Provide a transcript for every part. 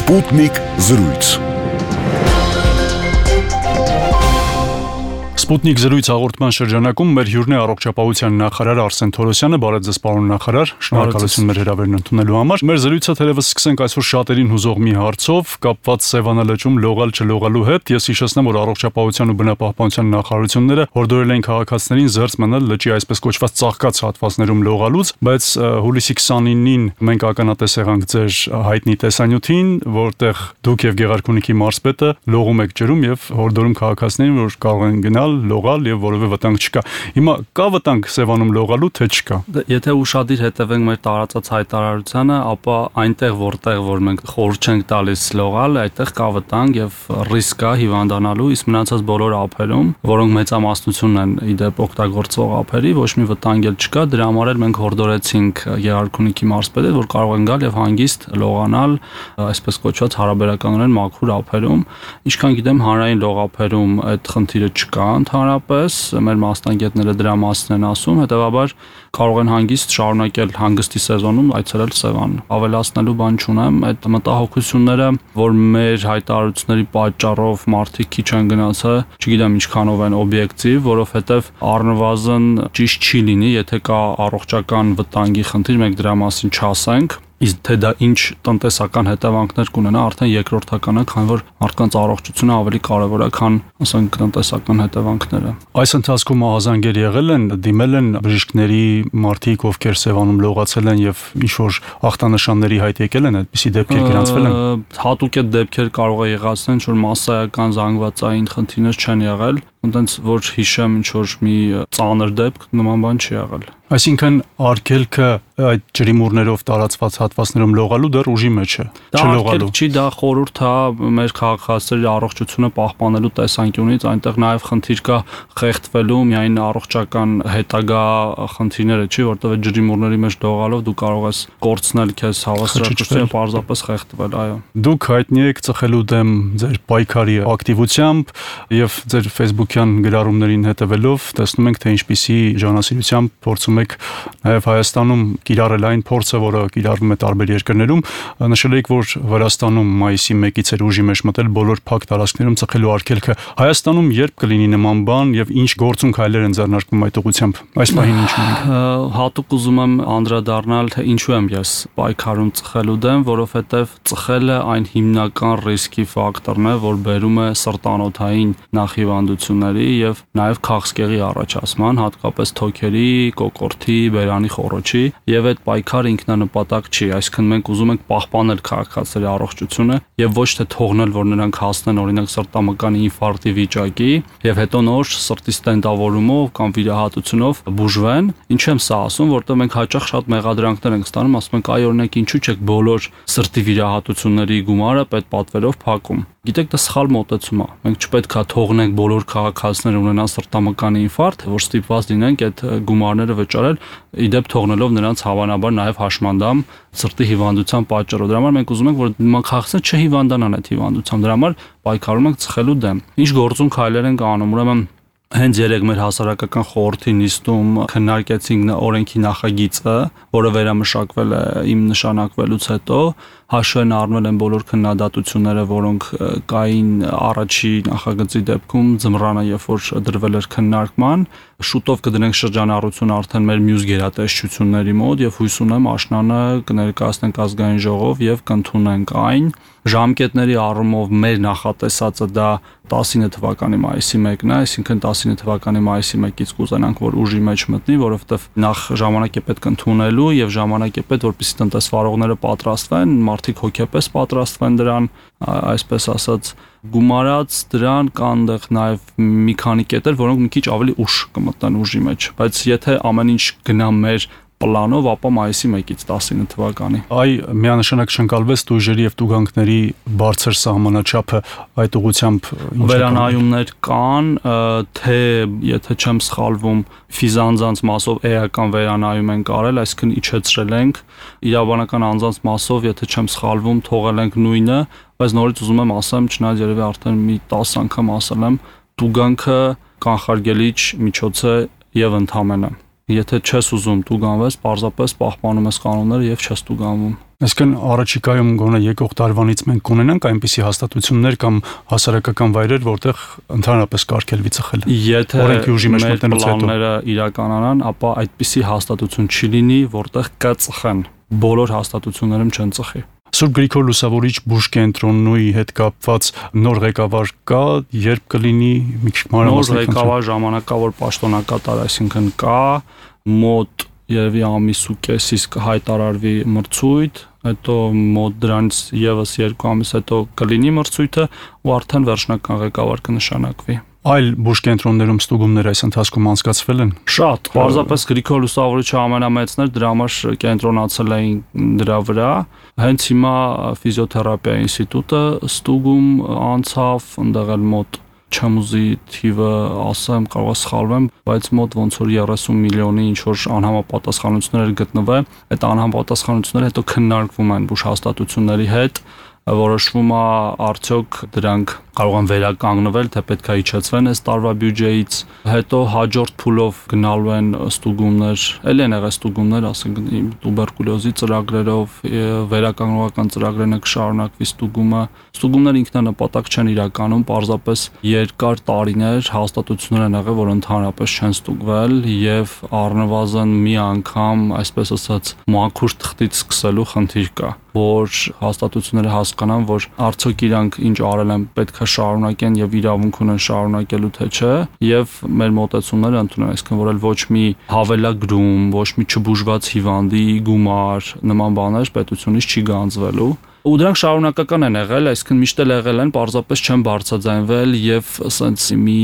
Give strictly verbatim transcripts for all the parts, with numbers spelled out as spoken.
Sputnik զրույց։ Sputnik զրույց հաղորդման շրջանակում մեր հյուրն է առողջապահության նախարար Արսեն Թորոսյանը։ Բարև ձեզ, պարոն նախարար, շնորհակալություն մեր հրավերն ընդունելու համար։ Մեր զրույցը թերևս սկսենք այսօր շատերին հուզող մի հարցով, կապված Սևանալճում լողալ չլողալու հետ։ Ես հիշեցնեմ, որ առողջապահության ու բնապահպանության նախարարությունները հորդորել են քաղաքացիներին զերծ մնալ լճի այսպես կոչված ծաղկած հատվածներում լողալուց, բայց հուլիսի քսանինին մենք ականատես եղանք ձեր հայտնի տեսանյութին, որտեղ դուք եւ Գեղարքունիքի մարզպետը լողում եք ջրում եւ հորդորում քաղաքացիներին, որ կարող են գնալ լողալ եւ որևէ վտանգ չկա։ Հիմա կա վտանգ Սևանում լողալու, թե չկա։ Եթե ուշադիր հետևենք մեր տարածած հայտարարությանը, ապա այնտեղ որտեղ որ մենք խորհուրդ չենք տալիս լողալ, այդտեղ կա վտանգ եւ ռիսկ կա հիվանդանալու, իսկ մնացած բոլոր ափերում, որոնք մեծամասնությունն են իդեպ օգտագործող ափերի, ոչ մի վտանգ էլ չկա։ Դրա համար էլ մենք հորդորեցինք Գեղարքունիքի մարզպետը, որ կարող են գալ եւ հանգիստ լողանալ այսպես կոչված հարաբերականորեն մաքուր ափերում։ Ինչքան գիտեմ, հանրային լողափերում այդ խնդիրը չկա ընդհանրապես, մեր մասնագետները դրա մասին են ասում, հետեւաբար կարող են հանգիստ շարունակել հանգստի սեզոնում այցելել Սևան։ Ավելացնելու բան չունեմ, այդ մտահոգությունները, որ մեր հայտարարությունների պատճառով մարդիկ քիչ են գնացել, չգիտեմ ինչքանով են օբյեկտիվ, որովհետև առնվազն ճիշտ չի լինի, եթե կա առողջական վտանգի խնդիր, մենք դրա մասին չասենք։ Իսկ թե դա ինչ տնտեսական հետևանքներ կունենա, արդեն երկրորդական է, քանի որ մարդկանց առողջությունը ավելի կարևոր է, քան ասենք տնտեսական հետևանքները։ Այս ընթացքում ահազանգեր եղել են, դիմել են բժիշկների մարդիկ, ովքեր Սևանում լողացել են եւ ինչ որ ախտանշանների հայտ եկել են, այդպիսի դեպքեր գրանցվել են։ Հատուկ այդ դեպքեր կարող է եղածեն, ինչ որ մասսայական զանգվածային խնդիրներ չեն եղել, այնտենց որ հիշեմ ինչ որ մի ծանր դեպք նման բան չի եղել։ Այսինքն արգելքը այդ ջրիմուռներով տարածված հատվածներում լողալու դեռ ուժի մեջ է, չլողալու։ Չի, դա խորհուրդ է մեր քաղաքացիների առողջությունը պահպանելու տեսանկյունից, այնտեղ նաև խնդիր կա խեղդվելու միայն առողջական հետագա խնդիրները, չի, որտեղ այդ ջրիմուռների մեջ լողալով դու կարող ես կորցնել քեզ հավասարակշռությունը, պարզապես խեղդվել, այո։ Դուք հայտնի եք ծխելու դեմ ձեր պայքարի ակտիվությամբ եւ ձեր Facebook-յան գրառումներին հետևելով տեսնում ենք, թե ինչպիսի ժանասիրությամբ փորձում եք նաև Հայաստանում կիրառել այն փորձը, որը կիրառվում է տարբեր երկրներում։ Նշել եք, որ Վրաստանում մայիսի մեկից էր ուժի մեջ մտել բոլոր փակ տարածքներում ծխելու արգելքը։ Հայաստանում երբ կլինի նման բան եւ ինչ գործուն քայլեր են ձեռնարկվում այդ ուղղությամբ։ Այս պահին ինչ ունենք։ Հատուկ ուզում եմ անդրադառնալ, թե ինչու եմ ես պայքարում ծխելու դեմ, որովհետեւ ծխելը այն հիմնական ռիսկի ֆակտորն է, որ բերում է սրտանոթային նախհիվանդությունների եւ նաեւ քաղցկեղի առաջացման, հատկապես թոքերի, կոկորտի, բերանի խոռոչի, եւ այդ պայքարը ինքնանպատակ չի, այսինքն մենք ուզում ենք պահպանել քաղաքացիների առողջությունը եւ ոչ թե թողնել, որ նրանք հասնեն օրինակ սրտամկանի ինֆարկտի վիճակի եւ հետո նոր սրտի ստենտավորումով կամ վիրահատությունով բուժվեն։ Ինչ եմ սա ասում, որտեղ մենք հաճախ շատ մեղադրանքներ ենք ստանում, ասում ենք, այ օրինակ ինչու՞ չեք բոլոր սրտի վիրահատությունների գումարը պետպատվերով փակում։ Գիտեք, դա սխալ մոտեցում է։ Մենք չպետք է թողնենք բոլոր քաղաքացիները ունենան սրտամկանի ինֆարկտ, որ ստիպված լինենք այդ գումարները վճարել, իդեպ թողնելով նրանց հավանաբար նաև հաշմանդամ սրտի հիվանդության պատճառով։ Դրա համար մենք ուզում ենք, որ քաղաքացիները չհիվանդանան այդ հիվանդությամբ։ Դրա համար պայքարում ենք ծխելու դեմ։ Ինչ գործուն քայլեր ենք անում, ուրեմն հենց երեք մեր հասարակական խորհրդի նիստում քննարկեցինք օրենքի նախագիծը, որը վերամշակվել է իմ նշանակվելուց հետո, հաշվեն առնել են բոլոր քննադատությունները, որոնք կային առաջի նախագծի դեպքում, ձմռանը, երբ որ դրվել էր քննարկման, շուտով կդնենք շրջանառություն արդեն մեր մյուս գերատեսչությունների մոտ եւ հույս ունեմ աշնանը կներկայացնենք ազգային ժողով եւ կընդունենք այն։ Ժամկետների առումով մեր նախատեսածը դա տասինը թվականի մայիսի մեկն է, այսինքն տասինը թվականի մայիսի մեկից կուզենանք, որ ուժի մեջ մտնի, որովհետեւ նախ ժամանակ է պետք ընդունելու եւ ժամանակ է պետք, որպեսզի տնտեսվարողները պատրաստվեն, մարդիկ հոգեպես պատրաստվեն դրան, այսպես ասած, գումարած դրան կան դեռ նաև մի քանի կետեր, որոնք մի քիչ ավելի ուշ կմտնեն ուժի մեջ, բայց եթե ամեն ինչ գնա մեր պլանով, ապա մայիսի մեկից տասինը թվականի։ Այ միանշանակ շնկալվեց տույժերի եւ տուգանքների բարձր սահմանաչափը այդ ուղղությամբ վերանայումներ կան, թե եթե չեմ սխալվում, ֆիզանձանց մասով էական վերանայում են կարել, այսինքն իջեցրել ենք, իրավաբանական անձանց մասով, եթե չեմ սխալվում, թողել ենք նույնը, բայց նորից ուզում եմ ասեմ, չնայած երևի արդեն մի տասը անգամ ասել եմ, տուգանքը կանխարգելիչ միջոց է եւ ընդհանրապես Եթե չես ուզում տուգանվես, պարզապես պահպանում ես կանոնները եւ չես տուգանվում։ Այսինքն առաջիկայում գոնե եկող տարվանից մենք կունենանք այնպիսի հաստատություններ կամ հասարակական վայրեր, որտեղ ընդհանրապես կարգելվի ծխելը։ Եթե մեր պլանները իրականանան, ապա այդպիսի հաստատություն չի լինի, որտեղ կծխեն։ Բոլոր հաստատություններում չեն ծխի։ Սուրբ Գրիգոր Լուսավորիչ բուժկենտրոնի հետ կապված նոր ղեկավար կա, երբ կլինի մի քիչ մանրամասն։ Նոր ղեկավար ժամանակավոր պաշտոնակատար, այսինքն կա, մոտ երևի ամիս ու կեսից կհայտարարվի մրցույթ, հետո մոտ դրանից եւս երկու ամիս հետո կլինի մրցույթը ու արդեն վերջնական ղեկավար կնշանակվի։ Այլ բուժկենտրոններում ստուգումներ այս ընթացքում անցկացվել են։ Շատ, պարզապես Գրիգոր Լուսավորիչը ամենամեծն էր, դրա համար կենտրոնացել էին դրա վրա։ Հենց հիմա ֆիզիոթերապիա ինստիտուտը ստուգում անցավ, ընդեղ էլ մոտ չեմ ուզի թիվը ասեմ, կարող է սխալվեմ, բայց մոտ ոնց որ երեսուն միլիոնի ինչ որ անհամապատասխանություններ գտնվել, այդ անհամապատասխանությունները հետո քննարկվում են բուժհաստատությունների հետ, որոշվում է արդյոք դրանք կարող են վերականգնվել, թե պետք է իջեցվեն այս տարվա բյուջեից, հետո հաջորդ փուլով գնալու են ստուգումներ, ել են եղել ստուգումներ, ասենք տուբերկուլյոզի ծրագրերով, վերականգնողական ծրագրերն կշարունակվի ստուգումը։ Ստուգումները ինքնանպատակ չեն իրականում, պարզապես երկար տարիներ հաստատություններ են եղել, որ ընդհանրապես չեն ստուգվել եւ առնվազն մի անգամ, այսպես ասած, մաքուր թղթից սկսելու խնդիր կա, որ հաստատությունները հասկանան, որ արդյոք իրանք ինչ արել են պետք է շարունակեն եւ իրավունք ունեն շարունակելու թե չէ, եւ մեր մոտեցումները ընդունեն, այսինքն որ ոչ մի հավելագրում, ոչ մի չբուժված հիվանդի գումար նման բաներ պետությունից չի գանձվելու։ Ու դրանք շարունակական են եղել, այսինքն միշտ էլ եղել են, պարզապես չեն բարձրաձայնվել եւ ասենց մի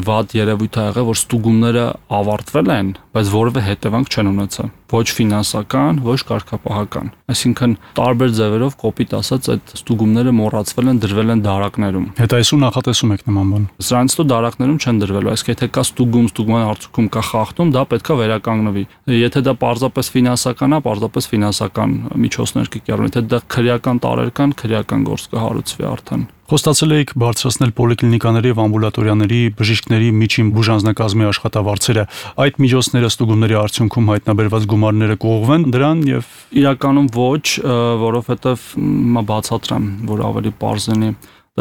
վատ երևույթ ա եղել, որ ստուգումները ավարտվել են, բայց որևէ հետևանք չեն ունեցել, ոչ ֆինանսական, ոչ կարգապահական։ Այսինքն տարբեր ձևերով կոպիտ ասած այդ ստուգումները մոռացվել են, դրվել են դարակներում։ Հետայսու նախատեսում եք նման բան։ Սրանից հետո դարակներում չեն դրվելու, այսինքն եթե կա ստուգում, ստուգման արդյունքում կա խախտում, դա պետքա վերականգնվի։ Եթե դա պարզապես ֆինանսական է, պարզապես ֆինանսական միջոցներ կկիրառվեն, եթե դա քրեական տարեր կան, քրեական գործ կհարուցվի արդեն։ Խոստացել եք բարձրացնել պոլիկլինիկաների եւ ամբուլատորիաների բժիշկների միջին բուժանձնակազմի աշխատավարձերը։ Այդ միջոցները ստուգումների արդյունքում հայտնաբերված գումարները կողվեն դրան եւ իրականում ոչ, որովհետեւ մա բացատրեմ, որ ավելի པարզ լինի։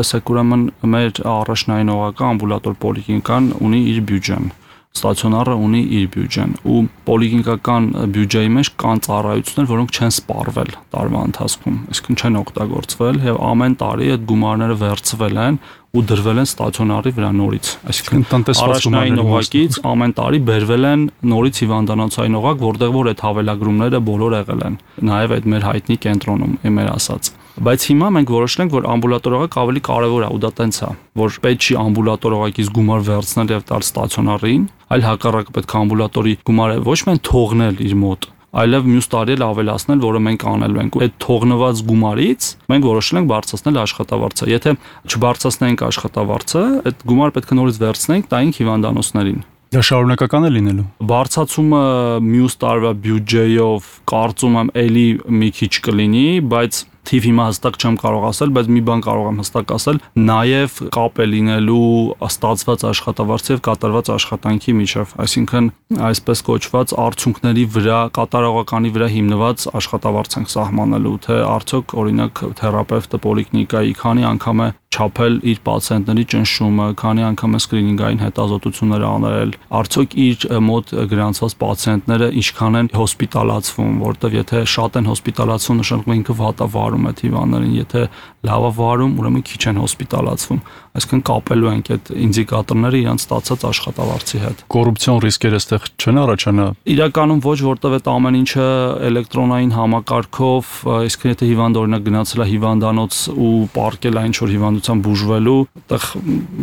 Տեսեք, ուրեմն մեր առաջնայինողական ամբուլատոր պոլիկլինիկան ունի իր բյուջեն։ Ստացիոնարը ունի իր բյուջեն ու պոլիկլինիկական բյուջեի մեջ կան ծառայություններ, որոնք չեն սպառվել տարվա ընթացքում, այսինքն չեն օգտագործվել եւ ամեն տարի այդ գումարները վերցվել են ու դրվել են ստացիոնարի վրա նորից, այսինքն առաջնային օղակից ամեն տարի բերվել են նորից հիվանդանոցային օղակ, որտեղ որ այդ հավելագրումները բոլոր եղել են, նաեւ այդ մեր հայտնի կենտրոնում, մեր ասած։ Բայց հիմա մենք որոշել ենք, որ ամբուլատոր օղակ ավելի կարևոր է ու դա տենց է, որ պետք չի ամբուլատոր օղակից գումար վերցնել եւ տալ ստացիոնարին, այլ հակառակը պետք է ամբուլատորի գումարը ոչ միայն թողնել իր մոտ, այլև մյուս տարի էլ ավելացնել, որը մենք անելու ենք։ Այդ թողնված գումարից մենք որոշել ենք բարձրացնել աշխատավարձը։ Եթե չբարձրացնենք աշխատավարձը, այդ գումարը պետք է նորից վերցնենք տայինք հիվանդանոցներին։ Դա շարունակական է լինելու։ Բարձրացումը մյուս տարվա բյուջեով կարծում եմ էլի մի քիչ կլինի, բայց թիվ հիմա հստակ չեմ կարող ասել, բայց մի բան կարող եմ հստակ ասել, նաև կապ է լինելու ստացված աշխատավարձի եւ կատարված աշխատանքի միջև, այսինքն այսպես կոչված արդյունքների վրա, կատարողականի վրա հիմնված աշխատավարձ ենք սահմանելու, թե արդյոք օրինակ թերապևտը պոլիկլինիկայի քանի անգամ է չափել իր պացիենտների ճնշումը, քանի անգամ է սկրինինգային հետազոտություններ անել, արդյոք իր մոտ գրանցված պացիենտները ինչքան են հոսպիտալացվում, որտեվ եթե շատ են հոսպիտալացվում, նշանակում է ինքը վատա վարում է հիվանդներին, եթե լավ է վարում, ուրեմն քիչ են հոսպիտալացվում։ Այսինքն կապելու ենք այդ ինդիկատորները իրենց ստացած աշխատավարձի հետ։ Կոռուպցիոն ռիսկերը այստեղ չեն առաջանա։ Իրականում ոչ, որտեվ այդ ամեն ինչը էլեկտրոնային համակարգով, այսինքն եթե հիվանդ օրինակ գնացել է հիվանդանոց ու պարկել է ինչ-որ հիվանդության բուժվելու, այդտեղ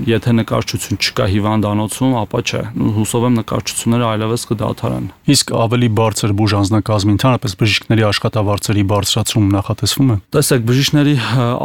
եթե նկարչություն չկա հիվանդանոցում, ապա չէ։ Հուսով եմ նկարչությունները այլևս կդադարեն։ Իսկ ավելի բարձր բուժանձնակազմի ընդհանրապես բժիշկների աշխատավարձերի բարձրացում նախատեսվում է։ Տեսեք, բժիշկների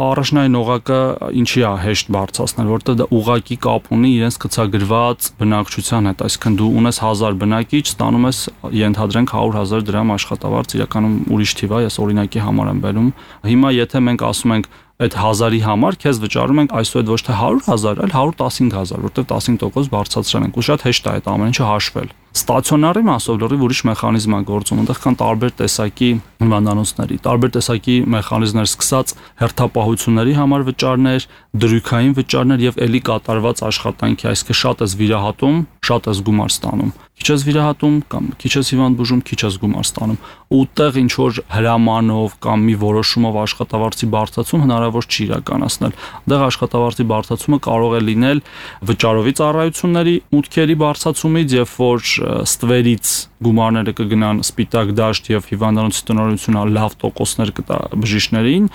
առաջնային օղակը ինչի է հեշտ բարձրացնել, որտեղ դա ուղղակի կապ ունի իրենց գծագրված բնակչության հետ, այսինքն դու ունես հազար բնակիչ, ստանում ես ենթադրենք հարյուր հազար դրամ աշխատավարձ, իրականում ուրիշ թիվ է, ես օրինակի համար եմ բերում։ Հիմա եթե մենք ասում ենք այդ հազարի համար քեզ վճարում ենք այսօր ոչ թե հարյուր հազար, այլ հարյուր տասնհինգ հազար, որտեղ տասնհինգ տոկոս բարձրացրել ենք։ Ու շատ հեշտ է այդ ամեն ինչը հաշվել։ Ստացիոնարի մասով լրիվ ուրիշ մեխանիզմ է գործում, այնտեղ կան տարբեր տեսակի հիվանդանոցների, տարբեր տեսակի մեխանիզմներ, սկսած հերթապահությունների համար վճարներ, դրույքային վճարներ եւ ելի կատարված աշխատանքի, այսինքն շատ ես վիրահատում, շատ ես գումար ստանում, քիչ ես վիրահատում կամ քիչ ես հիվանդ բուժում, քիչ ես գումար ստանում, ու ուտեղ ինչ որ հրամանով կամ մի որոշումով աշխատավարձի բարձրացում հնարավոր չի իրականացնել։ Այնտեղ աշխատավարձի բարձրացումը կարող է լինել վճարովի ծառայությունների մուտքերի բարձրացումից, եւ որ ստվերից գումարները կգնան սպիտակ դաշտ եւ հիվանդանոցի տնօրինությունը լավ տոկոսներ կտա բժիշկներին,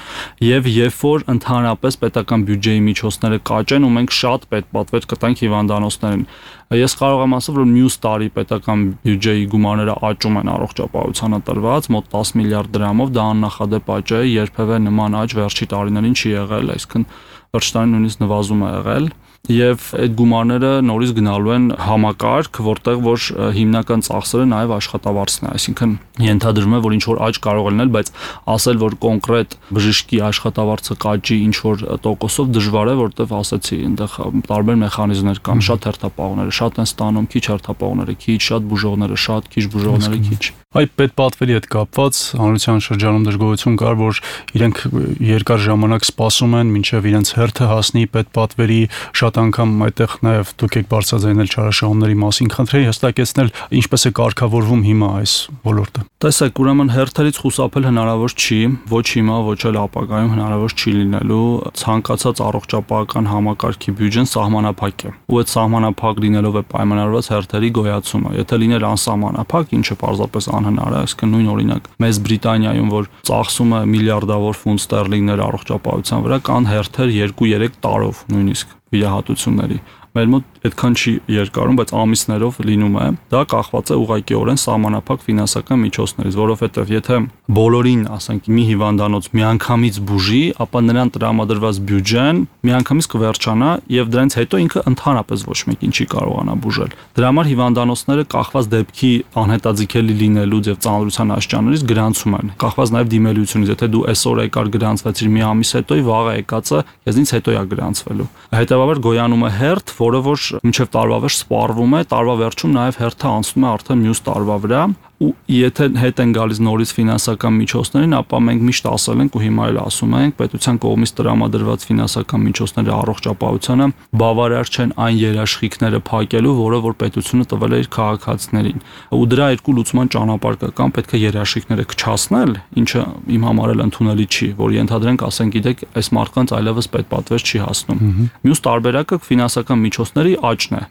եւ երբ որ ընդհանրապես պետական բյուջեի միջոցները կաճեն ու մենք շատ պետպատվեր կտանք հիվանդանոցներին, ես կարող եմ ասել, որ մյուս տարի պետական բյուջեի գումարները աճում են առողջապահությանը տրված մոտ տասը միլիարդ դրամով, դա աննախադեպ աճ է, երբևէ նման աճ վերջի տարիներին չի եղել, այսինքն վերջի տարին նույնիսկ նվազում է եղել։ Եվ այդ գումարները նորից գնալու են համակարգ, որտեղ որ հիմնական ծախսերը նաև աշխատավարձն է, այսինքն ենթադրվում է, որ ինչ որ աճ կարող է լինել, բայց ասել, որ կոնկրետ բժշկի աշխատավարձը կաճի ինչ որ տոկոսով դժվար է, որտեղ ասացի, այնտեղ տարբեր մեխանիզմներ կան, շատ հերթապահողները շատ են ստանում, քիչ հերթապահողները քիչ, շատ բուժողները շատ, քիչ բուժողները քիչ։ Այդ պետպատվերի հետ կապված հանրության շրջանում դժգոհություն կար, որ իրենք երկար ժամանակ սպասում են, մինչև իրենց հերթը հասնի պետպատվերի, շատ անգամ այդտեղ նաև դուք եք բարձրաձայնել չարաշահումների մասին, խնդրեի հստակեցնել ինչպես է կարգավորվում հիմա այս ոլորտը։ Տեսեք, ուրեմն հերթերից խուսափել հնարավոր չի, ոչ հիմա, ոչ էլ ապագայում հնարավոր չի լինելու, ցանկացած առողջապահական համակարգի բյուջեն սահմանափակ է, ու այդ սահմանափակ լինելով է պայմանավորված հերթերի գոյացումը։ Եթե լիներ անսահմանափակ, ինչը պարզապես անհնար է, այսինքն նույն օրինակ Մեծ Բրիտանիայում, որ ծախսում է միլիարդավոր ֆունտ ստերլինգներ առողջապահության վրա, կան հերթեր երկու-երեք տարով նույնիսկ վիրահատությունների։ Մեր մոտ այդքան չի երկարում, բայց ամիսներով լինում է։ Դա կախված է ուղղակիորեն սահմանափակ ֆինանսական միջոցներից, որովհետև եթե բոլորին, ասենք, մի հիվանդանոց միանգամից բուժի, ապա նրան տրամադրված բյուջեն միանգամից կվերջանա եւ դրանից հետո ինքը ընդհանրապես ոչ մեկին չի կարողանա բուժել։ Դրա համար հիվանդանոցները կախված դեպքի անհետաձգելի լինելուց եւ ծանրության աշճաններից գրանցում են, կախված նաեւ դիմելությունից, եթե դու այսօր եկար գրանցվեցիր մի ամիս հետո, վաղը եկածը քեզնից հետո է գրանցվելու։ Հետեւաբար գոյանում է հերթ, որը որ մինչև տարվա վերջ սպառվում է, տարվա վերջում նաև հերթը անցնում է արդեն մյուս տարվա վրա, ու եթե հետ են գալիս նորից ֆինանսական միջոցներին, ապա մենք միշտ ասել ենք ու հիմա էլ ասում ենք, պետության կողմից տրամադրված ֆինանսական միջոցները առողջապահությանը բավարար չեն այն երաշխիքները փակելու, որը որ պետությունը տվել է իր քաղաքացիներին։ Ու դրա երկու լուծման ճանապարհ կա, կամ պետք է երաշխիքները քչացնել, ինչը իմ համար էլ ընդունելի չի, որ ենթադրենք, ասենք, գիտեք, այս մարդկանց այլևս պետպատվեր չի հասնում։ Մյուս տարբերակը ֆինանսական միջոցների աճն է,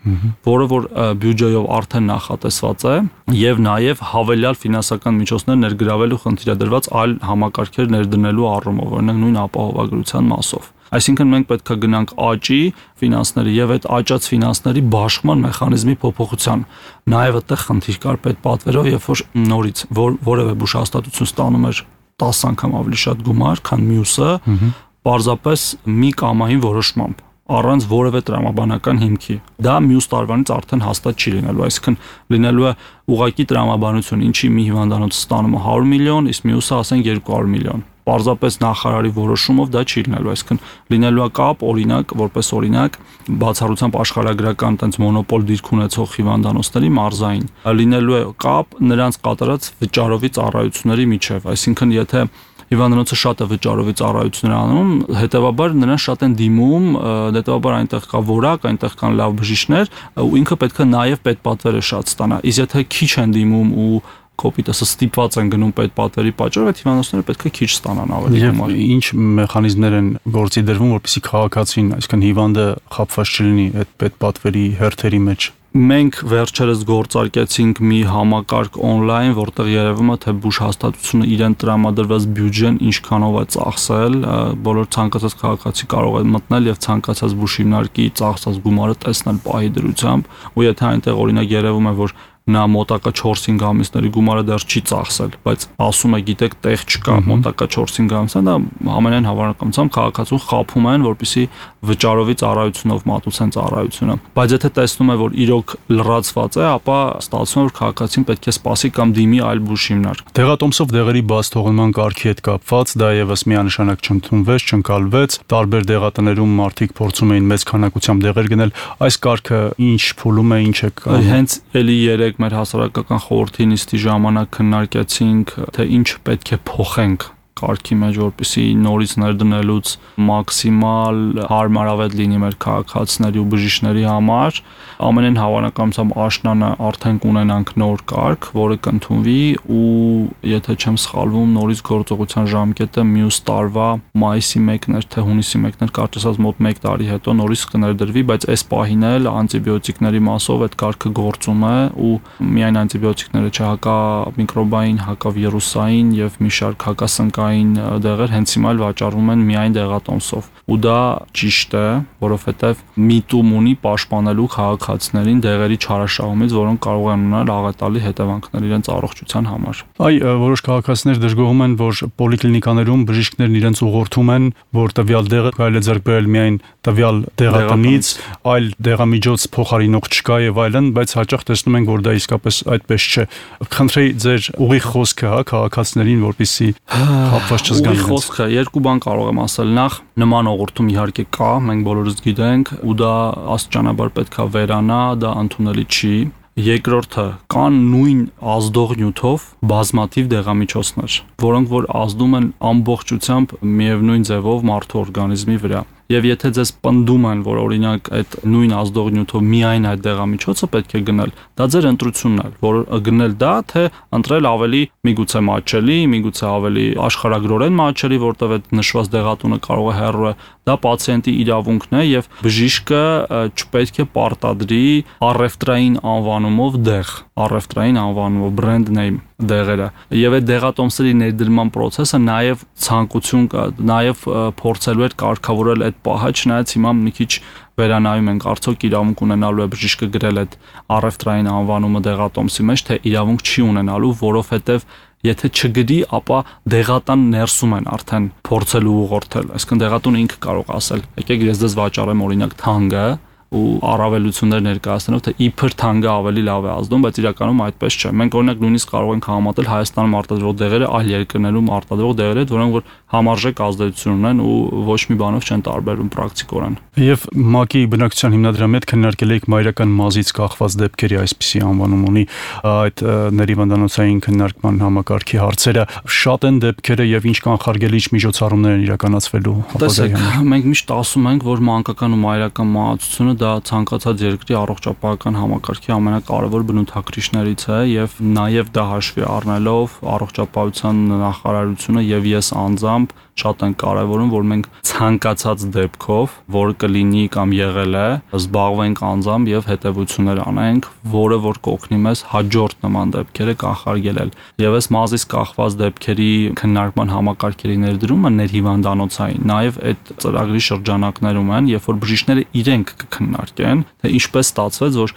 որը որ բյուջեով արդեն նախատեսված է, եւ նաեւ հավելյալ ֆինանսական միջոցներ ներգրավելու խնդիր է դրված այլ համակարգեր ներդնելու առումով, օրինակ նույն ապահովագրության մասով։ Այսինքն մենք պետք է գնանք աճի ֆինանսների եւ այդ աճած ֆինանսների բաշխման մեխանիզմի փոփոխության։ Նաեւ այդտեղ խնդիր կար պետպատվերով, երբ որ նորից որ, որևէ բուժհաստատություն ստանում էր տասը անգամ ավելի շատ գումար, քան մյուսը, պարզապես մի կամային որոշմամբ առանց որևէ տրամաբանական հիմքի։ Դա մյուս տարվանից արդեն հաստատ չի լինելու, այսինքն լինելու է ուղղակի տրամաբանություն, ինչի մի հիվանդանոց ստանում է հարյուր միլիոն, իսկ մյուսը ասենք երկու հարյուր միլիոն։ Պարզապես նախարարի որոշումով դա չի լինելու, այսինքն լինելու է կապ, օրինակ, որպես օրինակ, բացառությամբ աշխարհագրական տենց մոնոպոլ դիրք ունեցող հիվանդանոցների մարզային, լինելու է կապ նրանց կատարած վճարովի ծառայությունների միջև, այսինքն եթե հիվանդանոցը շատ է վճարովի ծառայություններ անում, հետեւաբար նրան շատ են դիմում, հետեւաբար այնտեղ կա որակ, այնտեղ կան լավ բժիշկներ, ու ինքը պետք է նաեւ պետպատվերը շատ ստանա։ Իսկ եթե քիչ են դիմում ու կոպիտասը ստիպված են գնում պետպատվերի պատճառով, այդ հիվանդանոցները պետք է քիչ ստանան ավելի գումար։ Ինչ մեխանիզմներ են գործի դրվում, որպեսզի քաղաքացին, այսինքն հիվանդը խաբված չլինի այդ պետպատվերի հերթերի մեջ։ Մենք վերջերս գործարկեցինք մի համակարգ on-line, որտեղ երևում է, թե բուժհաստատությունը իրեն տրամադրված բյուջեն ինչքանով է ծախսել, բոլոր ցանկացած քաղաքացի կարող է մտնել եւ ցանկացած բուժհիմնարկի ծախսած գումարը տեսնել պահի դրությամբ, ու եթե այնտեղ օրինակ երևում է, որ նա մոտակա չորս-հինգ ամիսների գումարը դեռ չի ծախսել, բայց ասում է, գիտեք, տեղ չկա, մոտակա չորս-հինգ ամիսը, դա ամենայն հավանականությամբ քաղաքացուն խաբում են, որպեսզի վճարովի ծառայությունով մատուցեն ծառայությունը։ Բայց եթե տեսնում է, որ իրոք լրացված է, ապա ստացվում է, որ քաղաքացին պետք է սպասի կամ դիմի այլ բուժհիմնարկ։ Դեղատոմսով դեղերի բաց թողնման կարգի հետ կապված դա եւս միանշանակ չընդունվեց, չընկալվեց, տարբեր դեղատներում մարդիկ փորձում էին մեծ քանակությամբ դեղեր գնել, այս կարգը ինչ փուլում է, ինչ է կա։ Հենց էլի երեք օրինակ մեր հասարակական խորհրդի նիստի ժամանակ քննարկեցինք, թե ինչ պետք է փոխենք կարգի մեջ, որպեսզի նորից ներդնելուց մաքսիմալ հարմարավետ լինի մեր քաղաքացիների ու բժիշկների համար, ամենայն հավանականությամբ աշնանը արդեն կունենանք նոր կարգ, որը կընդունվի ու եթե չեմ սխալվում, նորից գործողության ժամկետը մյուս տարվա մայիսի մեկն էր, թե հունիսի մեկն էր, կարծես ասած մոտ մեկ տարի հետո նորից կներդրվի, բայց այս պահին էլ անտիբիոտիկների մասով այդ կարգը գործում է ու միայն անտիբիոտիկները չէ, հակամիկրոբային, հակավիրուսային եւ մի շարք հակասնկային դեղեր հենց հիմա էլ վաճառվում են միայն դեղատոմսով ու դա ճիշտ է, որովհետեւ միտում ունի պաշտպանելու քաղաքացիներին դեղերի չարաշահումից, որոնք կարող են ունենալ աղետալի հետևանքներ իրենց առողջության համար։ Այ որոշ քաղաքացիներ դժգոհում են, որ պոլիկլինիկաներում բժիշկներն իրենց ուղղորդում են, որ տվյալ դեղը կարելի է ձեռք բերել միայն տվյալ դեղատնից, այլ դեղամիջոց փոխարինող չկա եւ այլն, բայց հաճախ տեսնում ենք, որ դա իսկապես այդպես չէ։ Խնդրեի ձեր ուղիղ խոսքը, հա, քաղաքացիներին, որպեսզի խապված չզգան։ Ուղիղ խոսքը երկու բան կարող եմ ասել։ Նախ նման ուղղորդում իհարկե կա, մենք բոլորս գիտենք, ու դա աստիճանաբար պետքա վերանա, դա ընդունելի չի։ Երկրորդը կան նույն ազդող նյութով բազմաթիվ դեղամիջոցներ, որոնք որ ազդում են ամբողջությամբ միևնույն ձևով մարդու օրգանիզմի վրա։ Եվ եթե ձեզ պնդում են, որ օրինակ այդ նույն ազդող նյութով միայն այդ դեղամիջոցը պետք է գնել, դա ձեր ընտրությունն է, որ գնել դա, թե ընտրել ավելի միգուցե մատչելի, միգուցե ավելի աշխարհագրորեն մատչելի, որտեղ այդ նշված դեղատունը կարող է հեռու է, դա պացիենտի իրավունքն է եւ բժիշկը չպետք է պարտադրի առևտրային անվանումով դեղ, առևտրային անվանումով brand name դեղերը։ Եվ այդ դեղատոմսերի ներդրման process-ը նաև ցանկություն կա, նաև փորձելու էր կարգավորել այդ պահը, չնայած հիմա մի քիչ վերանայում ենք, արդյոք իրավունք ունենալու է բժիշկը գրել այդ առևտրային անվանումը դեղատոմսի մեջ, թե իրավունք չի ունենալու, որովհետև եթե չգրի, ապա դեղատան ներսում են արդեն փորձելու ուղղորդել։ Այսինքն դեղատուն ինքը կարող ասել, եկեք ես դες վաճառեմ օրինակ թանկը ու առավելություններ ներկայացնելով, թե իբր թանկը ավելի լավ է ազդում, բայց իրականում այդպես չէ։ Մենք օրինակ նույնիսկ կարող ենք համատել Հայաստանում արտադրվող դեղերը այլ երկրներում արտադրվող դեղերի հետ, որոնք որ համարժեք ազդեցություն ունեն ու ոչ մի բանով չեն տարբերվում պրակտիկորեն։ Եվ ՄԱԿ-ի բնակչության հիմնադրամի հետ քննարկել եք մայրական մազից կախված դեպքերի այսպիսի անվանում ունի այդ ներիվանդանոցային քննարկման համակարգի հարցերը, շատ են դեպքերը եւ ինչ կանխարգելիչ միջոցառումներ են իրականացվելու ապագայի համար։ Մենք միշտ ասում ենք, որ մանկական ու մայրական մահացությունը դա ցանկացած երկրի առողջապահական համակարգի ամենակարևոր բնութագրիչներից է եւ նաեւ դա հաշվի առնելով առողջապահության նախարարությունը եւ ես անձամբ շատ են կարևորում, որ մենք ցանկացած դեպքով, որ կլինի կամ եղել է, զբաղվենք անձամբ եւ հետեւություններ անենք, որը որ կօգնի մեզ հաջորդ նման դեպքերը կանխարգելել։ Եվ այս մազից կախված դեպքերի քննարկման համակարգերի ներդրումը ներհիվանդանոցային նաեւ այդ ծրագրի շրջանակներում են, երբ որ բժիշկները իրենք կքննարկեն, թե ինչպես ստացվեց, որ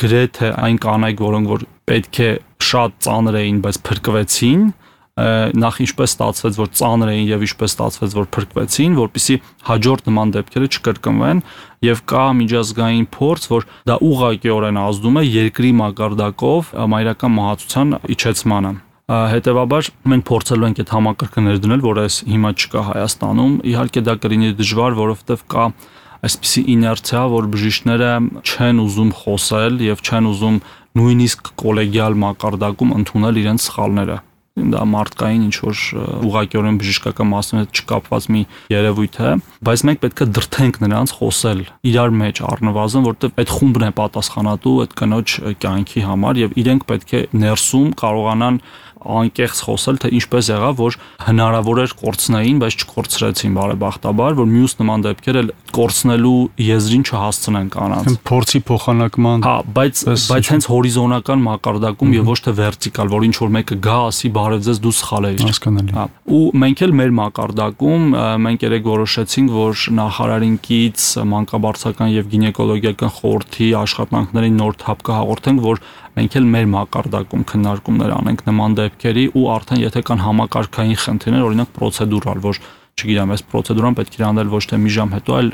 գրեթե այն կանայք, որոնք որ պետք է շատ ծանր էին, բայց փրկվեցին, նախ ինչպես ստացվեց, որ ծանր էին եւ ինչպես ստացվեց, որ փրկվեցին, որpիսի հաջորդ նման դեպքերը չկրկնվեն եւ կա միջազգային փորձ, որ դա ուղղակիորեն ազդում է երկրի մակարդակով մայրական մահացության իջեցմանը։ Հետևաբար մենք փորձելու ենք այդ համակարգը ներդնել, որ այս հիմա չկա Հայաստանում։ Իհարկե դա կլինի դժվար, որովհետեւ կա այսպիսի իներցիա, որ բժիշկները չեն ուզում խոսել եւ չեն ուզում նույնիսկ կոլեգիալ մակարդակում ընդունել իրենց սխալները։ Դա մարդկային ինչ որ ուղղակիորեն բժշկական մասի հետ չկապված մի երևույթ է, բայց մենք պետք է դրթենք նրանց խոսել իրար մեջ առնվազն, որտեղ այդ խումբն է պատասխանատու այդ կնոջ կյանքի համար եւ իրենք պետք է ներսում կարողանան անկեղծ խոսել, թե ինչպես եղավ, որ հնարավոր էր կորցնեին, բայց չկորցրեցին բարեբախտաբար, որ մյուս նման դեպքեր էլ կորցնելու եզրին չհասցնեն կանանց։ Փորձի փոխանակման։ Հա, բայց բայց հենց հորիզոնական մակարդակում եւ ոչ թե վերտիկալ, որ ինչ որ մեկը գա, ասի բարև ձեզ դու սխալ ես։ Հասկանալի։ Հա, ու մենք էլ մեր մակարդակում մենք երեք որոշեցինք, որ նախարարինքից մանկաբարձական եւ գինեկոլոգիական խորհրդի աշխատանքների նոր թափ կհաղորդենք, որ մենք էլ մեր մակարդակում քննարկումներ անենք նման դեպքերի ու արդեն եթե կան համակարգային խնդիրներ, օրինակ պրոցեդուրալ, որ չգիտեմ, այս պրոցեդուրան պետք է անել ոչ թե մի ժամ հետո, այլ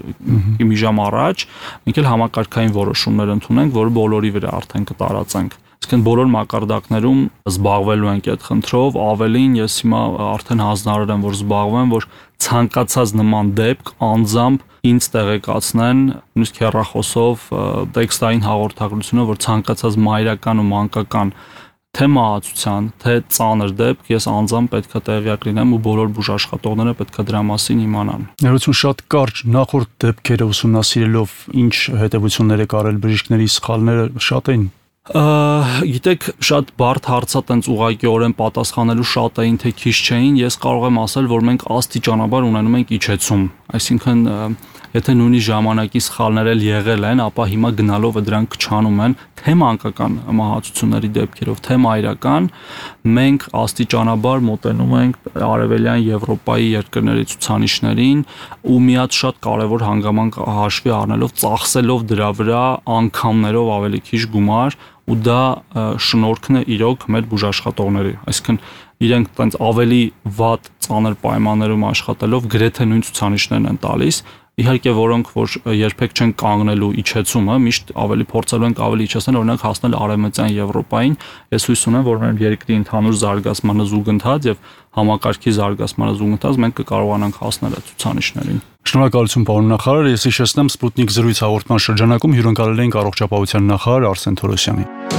մի ժամ առաջ, մենք էլ համակարգային որոշումներ ընդունենք, որը բոլորի վրա արդեն կտարածենք։ Իսկն բոլոր մակարդակներում զբաղվելու ենք այդ խնդրով, ավելին ես հիմա արդեն հանձնարարել եմ, որ զբաղվեմ, որ ցանկացած նման դեպք անձամբ ինձ տեղեկացնեն նույնիսկ հեռախոսով, տեքստային հաղորդագրությունով, որ ցանկացած մայրական ու մանկական թե մահացության, թե ծանր դեպք ես անձամբ պետքա տեղյակ լինեմ ու բոլոր բուժաշխատողները պետքա դրա մասին իմանան։ Ներողություն, շատ կարճ նախորդ դեպքերը ուսումնասիրելով ինչ հետևություններ եք արել, բժիշկների սխալները շատ էին։ Գիտեք, շատ բարդ հարցա տենց ուղղակիորեն պատասխանելու շատ էին, թե քիչ չէին, ես կարող եմ ասել, որ մենք աստիճանաբար ունենում ենք իջեցում, այսինքն եթե նույնիսկ ժամանակի սխալներ էլ եղել են, ապա հիմա գնալով դրանք քչանում են, թե մանկական մահացությունների դեպքերով, թե մայրական, մենք աստիճանաբար մոտենում ենք Արևելյան Եվրոպայի երկրների ցուցանիշներին ու մի հատ շատ կարևոր հանգամանք հաշվի առնելով, ծախսելով դրա վրա անգամներով ավելի քիչ գումար ու դա շնորհքն է իրոք մեր բուժաշխատողների, այսինքն իրենք տենց ավելի վատ ծանր պայմաններում աշխատելով գրեթե նույն ցուցանիշներն են տալիս, իհարկե որոնք որ երբեք չեն կանգնելու իջեցումը, միշտ ավելի փորձելու ենք ավելի իջեցնել, օրինակ հասնել Արևմտյան Եվրոպային, ես հույս ունեմ, որ մեր երկրի ընդհանուր զարգացմանը զուգընթաց եւ համակարգի զարգացմանը զուգընթաց մենք կկարողանանք հասնել այդ ցուցանիշներին։ Շնորհակալություն, պարոն նախարար, ես հիշեցնեմ Սպուտնիկ զրույց հաղորդման շրջանակում հյուրընկալել էինք առողջապահության նախարար Արսեն Թորոսյանին։